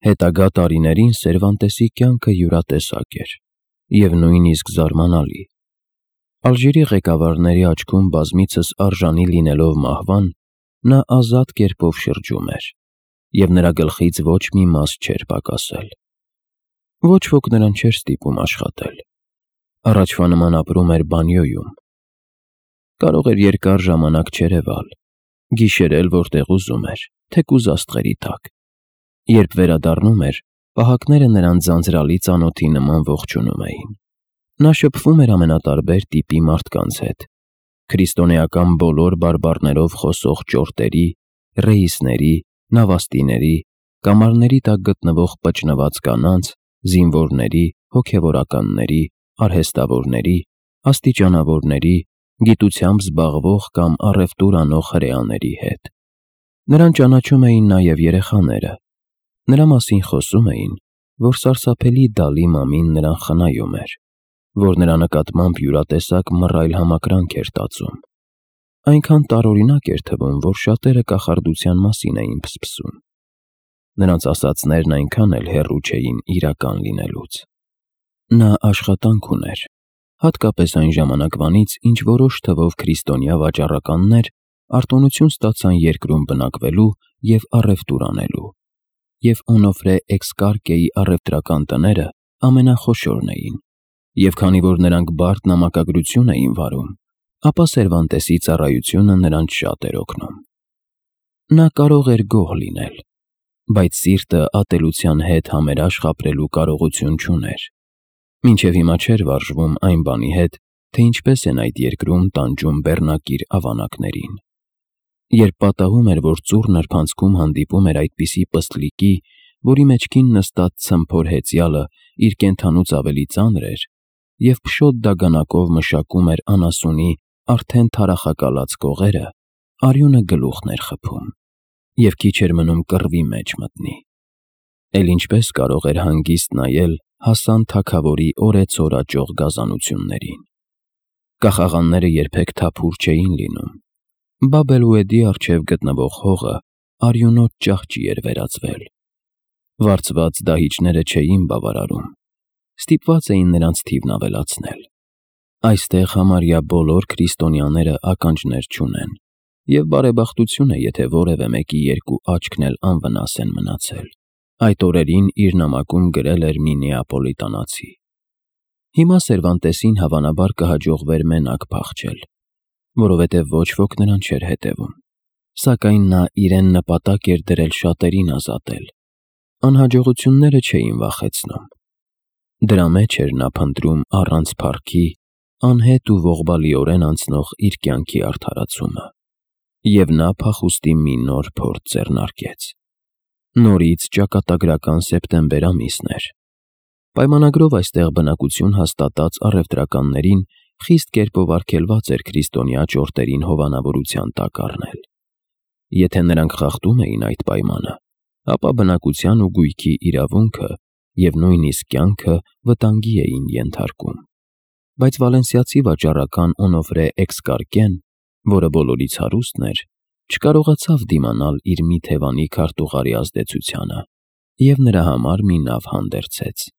Հետագա տարիներին Սերվանտեսի կյանքը յուրատեսակ էր և նույնիսկ զարմանալի։ Ալժիրի ղեկավարների աչքում բազմիցս արժանի լինելով մահվան, նա ազատ կերպով շրջում էր, և նրա գլխից ոչ մի մաս չէր պակասել։ Ոչ ոք նրան չէր ստիպում աշխատել։ Առաջվա նման ապրում էր բանյոյում։ Կարող էր երկար ժամանակ չերևալ, գիշերել որտեղ ուզում էր, թեկուզ աստղերի տակ։ Երբ վերադառնում էր, պահակները նրան ձանձրալի ծանոթի նման ողջունում էին։ Նա շփվում էր ամենատարբեր տիպի մարդկանց հետ՝ քրիստոնեական բոլոր բարբառներով խոսող ճորտերի, ռեիսների, նավաստիների, կամարների տակ գտնվող պճնված կանանց, զինվորների, հոգևորականների, արհեստավորների, աստիճանավորների, գիտությամբ զբաղվող կամ առևտուր անող հրեաների հետ։ Նրան ճանաչում էին նաև երեխաները։ Նրա մասին խոսում էին, որ սարսափելի Դալի մամին նրան խնայում էր, որ նրա նկատմամբ յուրատեսակ մռայլ համակրանք էր տածում։ Այնքան տարօրինակ էր թվում, որ շատերը կախարդության մասին էին փսփսում։ Նրանց ասածներն այնքան էլ հեռու չէին իրական լինելուց։ Նա աշխատանք ուներ, հատկապես այն ժամանակվանից, ինչ որոշ թվով քրիստոնյա վաճառականներ արտոնություն ստացան երկրում բնակվելու և առևտուր անելու, և Օնոֆրե Էքսկարկեի առևտրական տները ամենախոշորն էին, և քանի որ նրանք բարդ նամակագրություն էին վարում, ապա Սերվանտեսի ծառայությունը նրանց շատ էր օգնում։ Նա կարող էր գոհ լինել, բայց սիրտը ատելության հետ համերաշխ ապրելու կարողություն չուներ։ Մինչև հիմա չէր վարժվում այն բանի հետ, թե ինչպես են այդ երկրում տանջում բեռնակիր ավանակներին։ Երբ պատահում էր, որ ծուռ նրբանցքում հանդիպում էր այդպիսի պստլիկի, որի մեջքին նստած ցմփոր հեծյալը իր կենդանուց ավելի ծանր էր, և փշոտ դագանակով մշակում էր անասունի արդեն թարախակալած կողերը, արյունը գլուխն էր խփում, և քիչ էր մնում կռվի մեջ մտնի։ Էլ ինչպես կարող էր հանգիստ նայել Հասան թագավորի օրեցօր աճող գազանություններին։ Կախաղանները երբեք թափուր չէին լինում։ Բաբ էլ-Ուեդի առջև գտնվող հողը արյունոտ ճահճի էր վերածվել։ Վարձված դահիճները չէին բավարարում, ստիպված էին նրանց թիվն ավելացնել։ Այստեղ համարյա բոլոր քրիստոնյաները ականջներ չունեն, և բարեբախտություն է, եթե որևէ մեկի երկու աչքն էլ անվնաս են մնացել։ Այդ օրերին իր նամակում գրել էր մի նեապոլիտանացի. Հիմա Սերվանտեսին հավանաբար կհաջողվեր մենակ փախչել, որովհետև ոչ ոք նրան չէր հետևում, սակայն նա իրեն նպատակ էր դրել շատերին ազատել։ Անհաջողությունները չէին վախեցնում։ Դրա մեջ էր նա փնտրում առանց փառքի, անհետ ու ողբալիորեն անցնող իր կյանքի արդարացումը։ Եվ նա փախուստի մի նոր փորձ ձեռնարկեց։ Նորից ճակատագրական սեպտեմբեր ամիսն էր։ Պայմանագրով այստեղ բնակություն հաստատած առևտրականներին խիստ կերպով արգելված էր քրիստոնյա ճորտերին հովանավորության տակ առնել։ Եթե նրանք խախտում էին այդ պայմանը, ապա բնակության ու գույքի իրավունքը և նույնիսկ կյանքը վտանգի էին ենթարկում։ Բայց վալենսիացի վաճառական Օնոֆրե Էքսկարկեն, որը բոլորից հարուստն էր, չկարողացավ դիմանալ իր մի թևանի քարտուղարի ազդեցությանը և նրա համար մի նավ հանդերձեց։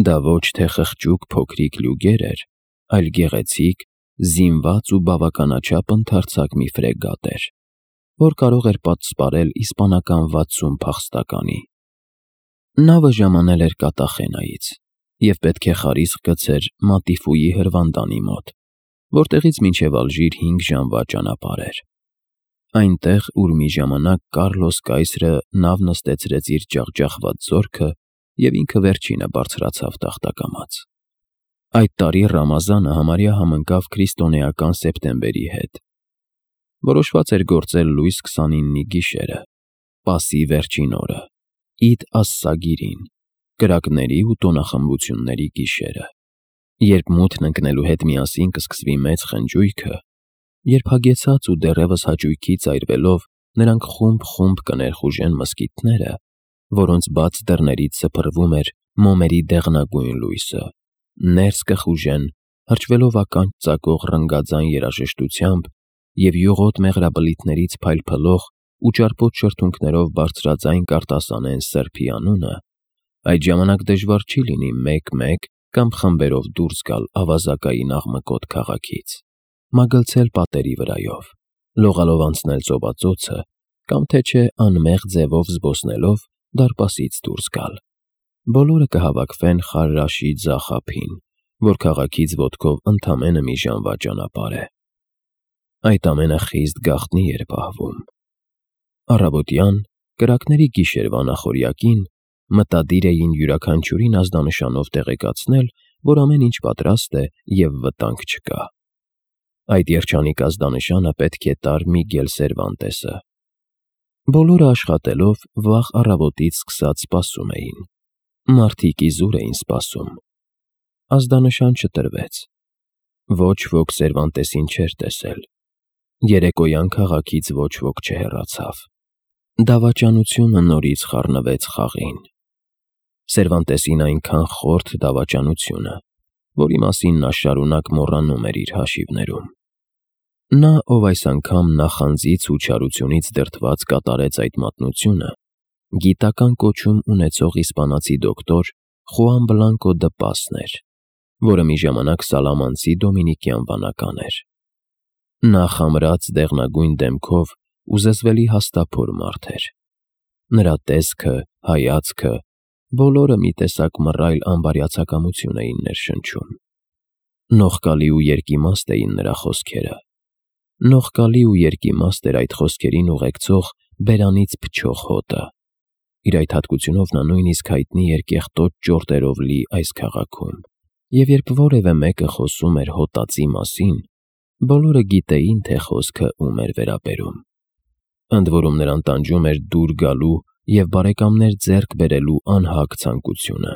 Դա ոչ թե խղճուկ փոքրիկ լյուգեր էր, այլ գեղեցիկ, զինված ու բավականաչափ ընդարձակ մի ֆրեգատ էր, որ կարող էր պատսպարել իսպանական 60 փախստականի։ Նավը ժամանել էր Կատախենայից և պետք է խարիսկ գցեր Մատիֆուի հրվանդանի մոտ, որտեղից մինչև Ալժիր 5 ժամվա ճանապարհ էր։ Այնտեղ, ուր մի ժամանակ Կառլոս կայսրը նավ նստեցրեց իր ջախջախված զորքը և ինքը վերջինը բարձրացավ տախտակամաց։ Այդ տարի Ռամազանը համարյա համընկավ քրիստոնեական սեպտեմբերի հետ։ Որոշված էր գործել լույս 29-ի գիշերը, Պասի վերջին օրը, Իդ աս-Սագիրին, կրակների ու տոնախմբությունների գիշերը։ Երբ մութն ընկնելու հետ միասին կսկսվի մեծ խնջույքը, երբ հագեցած ու դեռևս հաճույքից այրվելով նրանք խումբ-խումբ կներխուժեն մզկիթները, որոնց բաց դռներից սփռվում էր մոմերի դեղնագույն լույսը, ներս կխուժեն, հրճվելով ականջ ծակող ռնգաձայն երաժշտությամբ և յուղոտ մեղրաբլիթներից փայլփլող ու ճարպոտ շրթունքներով բարձրաձայն կարտասանեն սրբի անունը, այդ ժամանակ դժվար չի լինի մեկ-մեկ կամ խմբերով դուրս գալ ավազակային աղմկոտ քաղաքից, մագլցել պատերի վրայով, լողալով անցնել ծովածոցը կամ թե չէ անմեղ ձևով զբոսնելով դարպասից դուրս գալ։ Բոլորը կհավաքվեն Խարրաշի ձախ ափին, որ քաղաքից ոտքով ընդամենը մի ժամվա ճանապարհ է։ Այդ ամենը խիստ գաղտնի էր պահվում։ Առավոտյան, կրակների գիշերվա նախօրյակին, մտադիր էին յուրաքանչյուրին ազդանշանով տեղեկացնել, որ ամեն ինչ պատրաստ է և վտանգ չկա։ Այդ երջանիկ ազդանշանը պետք է տար Միգել Սերվանտեսը։ Բոլորը աշխատելով վաղ առավոտից սկսած սպասում էին։ Մարդիկ իզուր էին սպասում։ Ազդանշան չտրվեց։ Ոչ ոք Սերվանտեսին չէր տեսել։ Երեկոյան քաղաքից ոչ ոք չհեռացավ։ Դավաճանությունը նորից խառնվեց խաղին։ Սերվանտեսին այնքան խորթ դավաճանությունը, որի մասին նա շարունակ մոռանում էր իր հաշիվներում։ Նա, ով այս անգամ նախանձից ու չարությունից դրդված կատարեց այդ մատնությունը, գիտական կոչում ունեցող իսպանացի դոկտոր Խուան Բլանկո դը Պասն էր, որը մի ժամանակ Սալամանցի դոմինիկյան վանական էր։ Նա խամրած դեղնագույն դեմքով ու զզվելի հաստափոր մարդ էր։ Նրա տեսքը, հայացքը, բոլորը մի տեսակ մռայլ անբարյացակամություն էին ներշնչում։ Նողկալի ու երկիմաստ էին նրա խոսքերը։ Նողկալի ու երկիմաստ էր այդ խոսքերին ուղեկցող բերանից փչող հոտը։ Իր այդ հատկությունով նա նույնիսկ հայտնի էր կեղտոտ ճորտերով լի այս քաղաքում, և երբ որևէ մեկը խոսում էր հոտածի մասին, բոլորը գիտեին, թե խոսքը ում էր վերաբերում։ Ընդ որում նրան տանջում էր դուր գալու և բարեկամներ ձեռք բերելու անհագ ցանկությունը։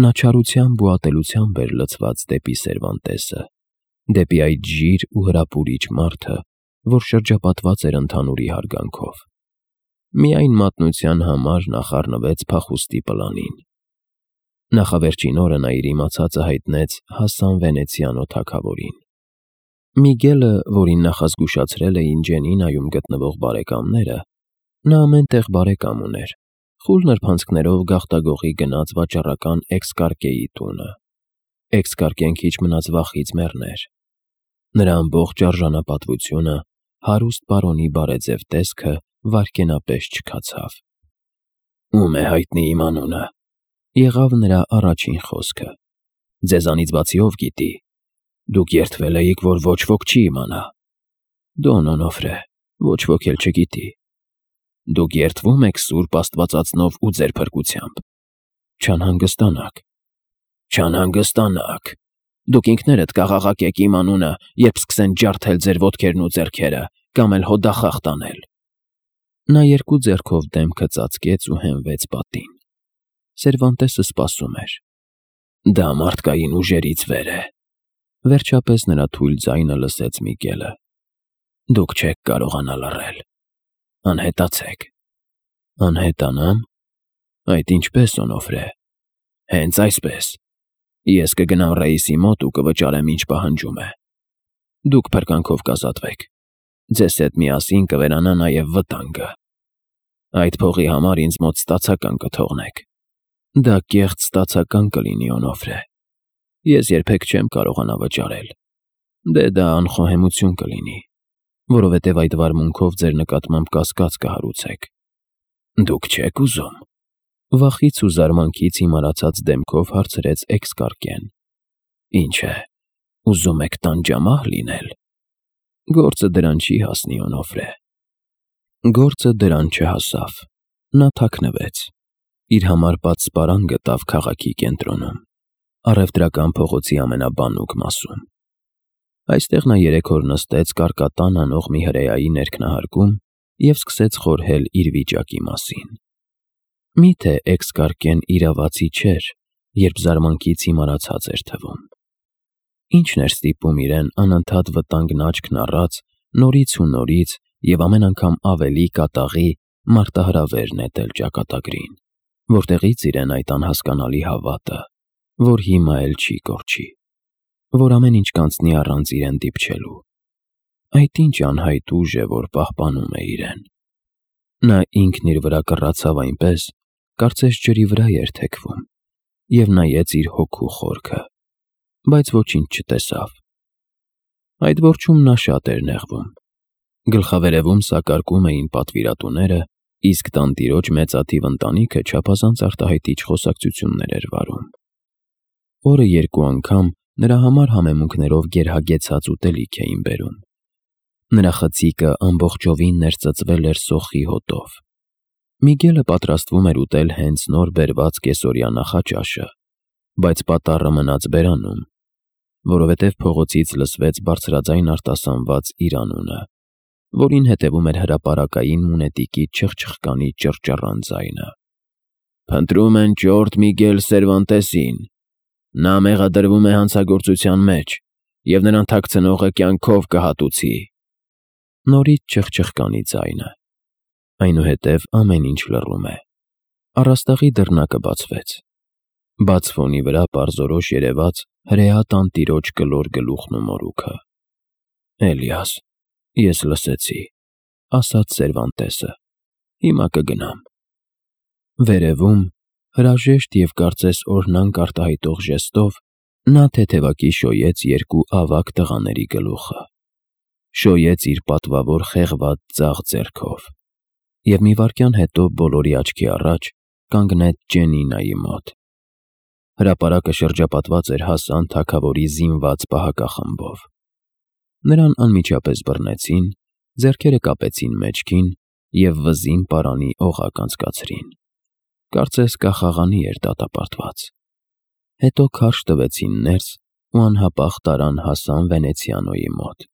Նա չարությամբ ու ատելությամբ էր լցված դեպի Սերվանտեսը, դեպի այդ ժիր ու հրապուրիչ մարդը, որ շրջապատված էր ընդհանուրի հարգանքով։ Միայն մատնության համար նա խառնվեց փախուստի պլանին։ Նախավերջին օրը նա իր իմացածը հայտնեց Հասան Վենեցիանո թագավորին։ Միգելը, որին նախազգուշացրել էին Ջենինայում գտնվող բարեկամները, նա ամեն տեղ բարեկամ ուներ, խուլ նրբանցքներով գաղտագողի գնաց վաճառական Էքսկարկեի տունը։ Էքսկարկեն քիչ մնաց վախից մեռներ։ Նրա ամբողջ արժանապատվությունը, հարուստ պարոնի բարեձև տեսքը վայրկենապես չքացավ։ «Ում է հայտնի իմ անունը», եղավ նրա առաջին խոսքը։ «Ձեզանից բացի ով գիտի։ Դուք երդվել էիք, որ ոչ ոք չի իմանա»։ «Դոն Օնոֆրե, ոչ ոք էլ չգիտի»։ «Դուք երդվում եք Սուրբ Աստվածածնով ու ձեր փրկությամբ»։ «Չանհանգստանաք»։ «Չանհանգստանաք։ Դուք ինքներդ կաղաղակեք իմ անունը, երբ սկսեն ջարդել ձեր ոտքերն ու ձեռքերը, կամ էլ հոդախախ տանել»։ Նա երկու ձեռքով դեմքը ծածկեց ու հենվեց պատին։ Սերվանտեսը սպասում էր։ «Դա մարդկային ուժերից վեր է», վերջապես նրա թույլ ձայնը լսեց Միգելը։ «Դուք չեք կարողանա լռել։ Անհետացեք»։ «Անհետանամ։ Այդ ինչպես, Օնոֆրե»։ «Հենց այսպես։ Ես կգնամ Ռեիսի մոտ ու կվճարեմ, ինչ պահանջում է։ Դուք փրկանքով կազատվեք։ Ձեզ հետ միասին կվերանա նաև վտանգը։ Այդ փողի համար ինձ մոտ ստացական կթողնեք։ Դա կեղծ ստացական կլինի, Օնոֆրե։ Ես երբեք չեմ կարողանա վճարել։ Դե դա անխոհեմություն կլինի, որովհետև այդ վարմունքով ձեր նկատմամբ կասկած կհարուցեք»։ «Դուք չեք ուզում»։ Վախից ու զարմանքից հիմարացած դեմքով հարցրեց Էքսկարկեն։ «Ինչ է, ուզում եք տանջամահ լինել»։ «Գործը դրան չի հասնի, Օնոֆրե»։ Գործը դրան չհասավ։ Նա թաքնվեց։ Իր համար պատսպարան գտավ քաղաքի կենտրոնում, առևտրական փողոցի ամենաբանուկ մասում։ Այստեղ նա 3 օր նստեց կարկատան անող մի հրեայի ներքնահարկում և սկսեց խորհել իր վիճակի մասին։ Միթե Էքսկարկեն իրավացի չէր, երբ զարմանքից հիմարացած էր թվում։ Ի՞նչն էր ստիպում իրեն անընդհատ վտանգն աչքն առած, նորից ու նորից և ամեն անգամ ավելի կատաղի մարտահրավեր նետել ճակատագրին, որտեղից իրեն այդ անհասկանալի հավատը, որ հիմա էլ չի կորչի, որ ամեն ինչ կանցնի առանց իրեն դիպչելու։ Այդ ինչ անհայտ ուժ է, որ պահպանում է իրեն։ Նա ինքն իր վրա կռացավ այնպես, կարծես ջրի վրա էր թեքվում, և նայեց իր հոգու խորքը, բայց ոչինչ չտեսավ։ Այդ որջում նա շատ էր նեղվում։ Գլխավերևում սակարկում էին պատվիրատուները, իսկ տանտիրոջ մեծաթիվ ընտանիքը չափազանց արտահայտիչ խոսակցություններ էր վարում։ Օրը երկու անգամ նրա համար համեմունքներով գերհագեցած ուտելիք էին բերում։ Նրա խցիկը ամբողջովին ներծծվել էր սոխի հոտով։ Միգելը պատրաստվում էր ուտել հենց նոր բերված կեսօրյա նախաճաշը, բայց պատառը մնաց բերանում, որովհետև փողոցից լսվեց բարձրաձայն արտասանված իր անունը, որին հետևում էր հրապարակային մունետիկի չխչխկանի ճռճռան ձայնը։ «Փնտրում են ճորտ Միգել Սերվանտեսին։ Նա մեղադրվում է հանցագործության մեջ, և նրան թաքցնողը կյանքով կհատուցի»։ Նորից չխչխկանի ձայնը։ Այնուհետև ամեն ինչ լռում է։ Առաստաղի դռնակը բացվեց։ Բաց ֆոնի վրա պարզորոշ երևաց հրեա տանտիրոջ կլոր գլուխն ու մորուքը։ «Էլիաս, ես լսեցի», ասաց Սերվանտեսը։ «Հիմա կգնամ»։ Վերևում, հրաժեշտ և կարծես օրհնանք արտահայտող ժեստով, նա թեթևակի շոյեց երկու ավագ տղաների գլուխը։ Շոյեց իր պատվավոր խեղված ձախ ձեռքով, և մի վայրկյան հետո բոլորի աչքի առաջ կանգնեց Ջենինայի մոտ։ Հրապարակը շրջապատված էր հասան թագավորի զինված պահակախմբով։ Նրան անմիջապես բռնեցին, ձեռքերը կապեցին մեջքին և վզին պարանի օղակ անցկացրին։ Կարծես կախաղանի էր դատապարտված։ Հետո քարշ տվեցին ներս ու անհապաղ տարան Հասան Վենեցիանոյի մոտ։